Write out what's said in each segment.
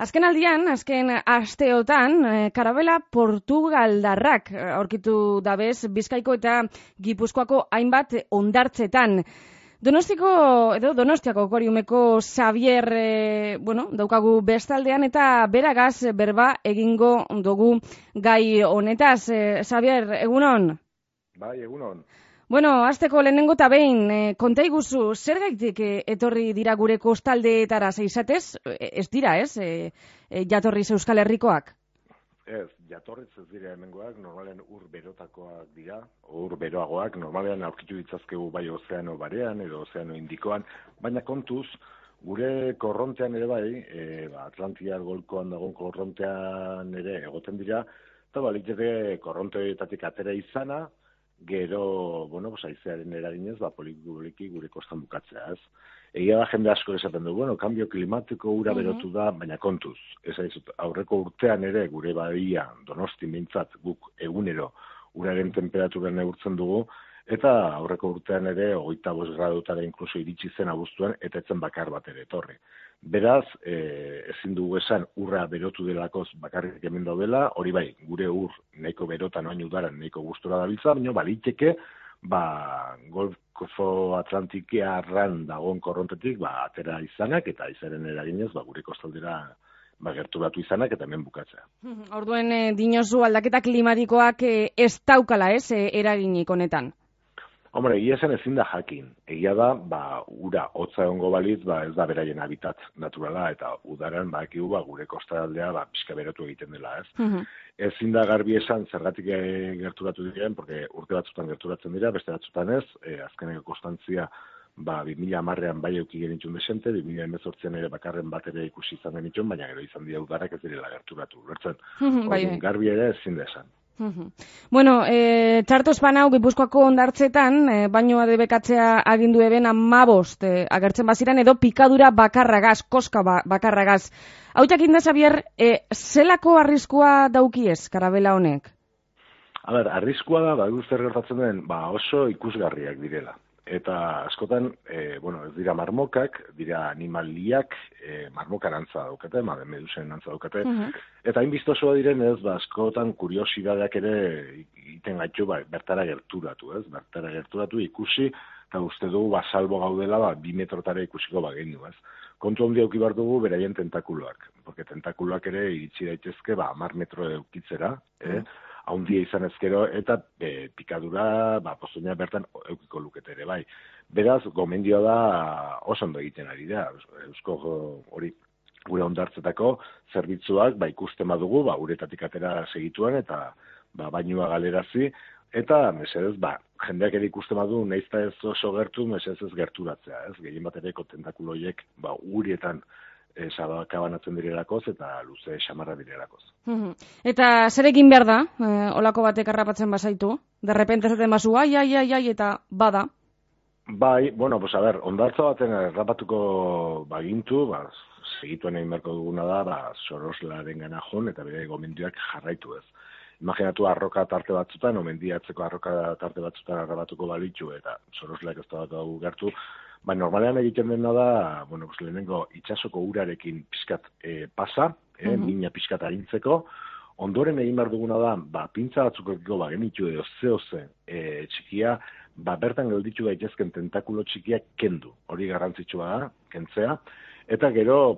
Azken aldian, azken asteotan, karabela portugaldarrak aurkitu dabez Bizkaiko eta Gipuzkoako hainbat hondartzetan. Donostiako Koriumeko Xavier, daukagu bestaldean eta beragaz berba egingo dugu gai honetaz. Xavier, egunon? Bai, egunon. Hasteko lehenengo eta behin, konta iguzu, zer gaitik etorri dira gure kostaldeetara izatez? Ez dira, ez? Jatorriz Euskal Herrikoak? Ez, jatorriz ez dira hemengoak, normalean ur berotakoak dira, ur beroagoak, normalean aurkitu ditzazkegu bai ozeano barean edo ozeano indikoan, baina kontuz, gure korrontean ere bai, Atlantiar golkoan dagoen korrontean ere egoten dira, eta baliteke korronteetatik atera izana, gero, haizearen eraginez, poliki gure kostan bukatzea, ez? Egia da jende asko esaten du, kambio klimatiko ura berotu da, baina kontuz. Ez aizut, aurreko urtean ere gure badia Donosti mintzat guk egunero uraren temperaturan neurtzen dugu, eta aurreko urtean ere 25 gradutara inkluso iritsi zen abuztuan, eta etzen bakar bat ere etorri. Beraz, ezin dugu esan urra berotu delakoz bakarrik hemen daudela, hori bai, gure ur nahiko berotan oain udaran nahiko gustora dabiltza, baina baliteke, Golfo Atlantikiarran dagoen korrontetik atera izanak eta izaren eraginez gure kostaldera gerturatu izanak eta hemen bukatzea. Orduen dinozu aldaketa klimatikoak ez daukala eraginik honetan? Hombre, egia zen ezin da jakin. Egia da, ura hotza egongo balitz, ez da beraien habitat naturala, eta udaran bakigu gure kostaldea pixka berotu egiten dela, ez? Ezin da garbi esan zergatik gerturatu diren, porque urte batzutan gerturatzen dira, beste batzutan ez, azkeneko kostantzia 2010an bai euki genitxun desente, 2018an ere bakarren bat ere ikusi izan genitxun, baina gero izan dira udarak ez direla gerturatu. Bertzen, garbi ere ezin da esan. Txarto espanau Gipuzkoako hondartzetan, bainoa debekatzea agindu eben 15 agertzen baziran edo pikadura bakarragaz, koska bakarragaz. Hau jakin da, Xavier, zelako arriskua daukiez karabela honek? Arriskua da, zer gertatzen den, oso ikusgarriak direla. Eta askotan, ez dira marmokak, dira animaliak, marmokan antza daukate, medusen antza daukate, eta hainbiztosoa diren ez, askotan kuriosidadeak ere iten gaitu bertara gerturatu, ez? Bertara gerturatu ikusi, eta uste dugu salbo gaudela 2 metrotara ikusiko bagenu, ez? Kontu handi auki behar dugu beraien tentakuloak, porque tentakuloak ere iritsi daitezke 10 metro eukitzera, haundia izan ezkero, eta pikadura, pozoina bertan eukiko lukete ere, bai. Beraz, gomendioa da oso ondo egiten ari da, eusko hori gure hondartzetako zerbitzuak, ikusten badugu, uretatik atera segituan, eta bainua galerazi, eta, mesedez, jendeak ere ikusten badu, nahiz ez oso gertu, mesedez ez gerturatzea, ez? Gehien bat ereko tentakuloiek, urietan, sabakabanatzen direlakoz eta luze xamarra direlakoz. Eta zer egin behar da, olako batek harrapatzen bazaitu? Derrepente zaten bazu, ai, eta bada? Bai, hondartza baten harrapatuko bagintu, segituen egin beharko duguna da, soroslaren gana joan eta bere gomendioak jarraitu ez. Imaginatu arroka tarte batzutan, mendiatzeko arroka tarte batzutan harrapatuko balitzu eta sorosleak ez da bat gertu, normalean egiten dena da, lehenengo itxasoko urarekin pixkat pasa, mina pixkat arintzeko, ondoren egin behar duguna da, pintza batzukeko genitu edo zehoze txikia, bertan gelditu daitezken tentakulo txikiak kendu, hori garrantzitsua da, kentzea, eta gero,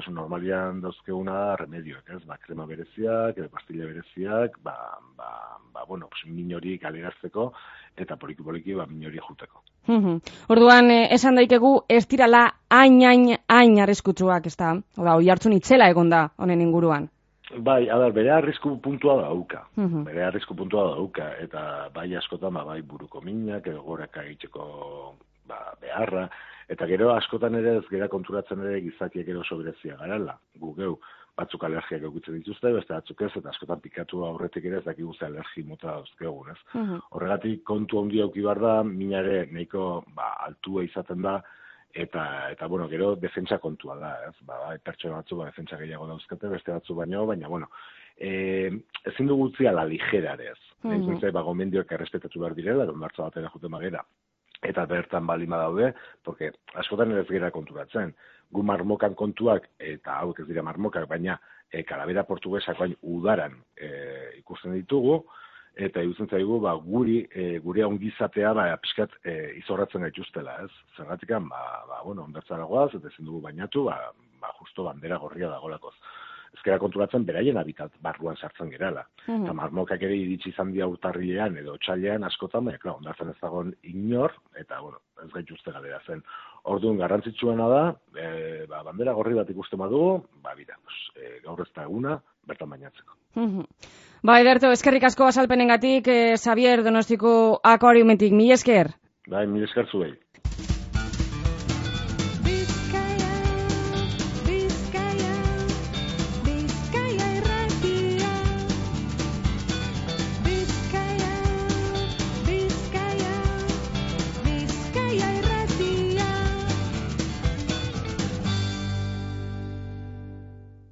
normalian dauzkeguna da remedioak, ez? Krema bereziak, pastilla bereziak, min hori galerazteko, eta poliki min hori juteko. Orduan, esan daikegu, ez dirala hain arriskutsuak, ez da? Hoi hartzun itzela egon da, honen inguruan. Bai, bere arrisku puntua dauka, eta bai askotan, buruko minak, edo goraka egiteko beharra, eta gero askotan ere ez gera konturatzen ere gizakiek ero berezia garela. Geu batzuk alergiak eukitzen dituzte, beste batzuk ez, eta askotan pikatu aurretik ere ez dakigu ze alergi mota dauzkegun, ez? Horregatik kontu handi auki behar da, minare nahiko altua izaten da, eta gero defentsa kontua da, ez? Pertsona batzu defentsa gehiago dauzkate, beste batzu baino, baina, ezin dugu utzi ala ligerarez. Gomendioak errespetatu behar direla, hondartza batera juten bagera. eta bertan balima daude, porque askotan ez gara konturatzen. Gu marmokan kontuak, eta hauek ez dira marmokak, baina kalabera portugesak bain udaran ikusten ditugu, eta iruditzen zaigu gure ongizatea pixkat izorratzen gaituztela, ez? Zergatikan, ondartzara goaz, eta ezin dugu bainatu, justo bandera gorria dagolakoz. Ezkera konturatzen beraien habitat barruan sartzen gerala. Eta marmokak ere iritsi izan dira urtarrilean edo otxailean askotan, baina, ondartzen ez dagoen inor, eta, ez gaituzte galera zen. Orduan garrantzitsuena da, bandera gorri bat ikusten badugu, gaur ez da eguna, bertan bainatzeko. Ederto, eskerrik asko azalpenengatik, Xavier Donostiko akuariumetik, mila esker. Mila esker zuei.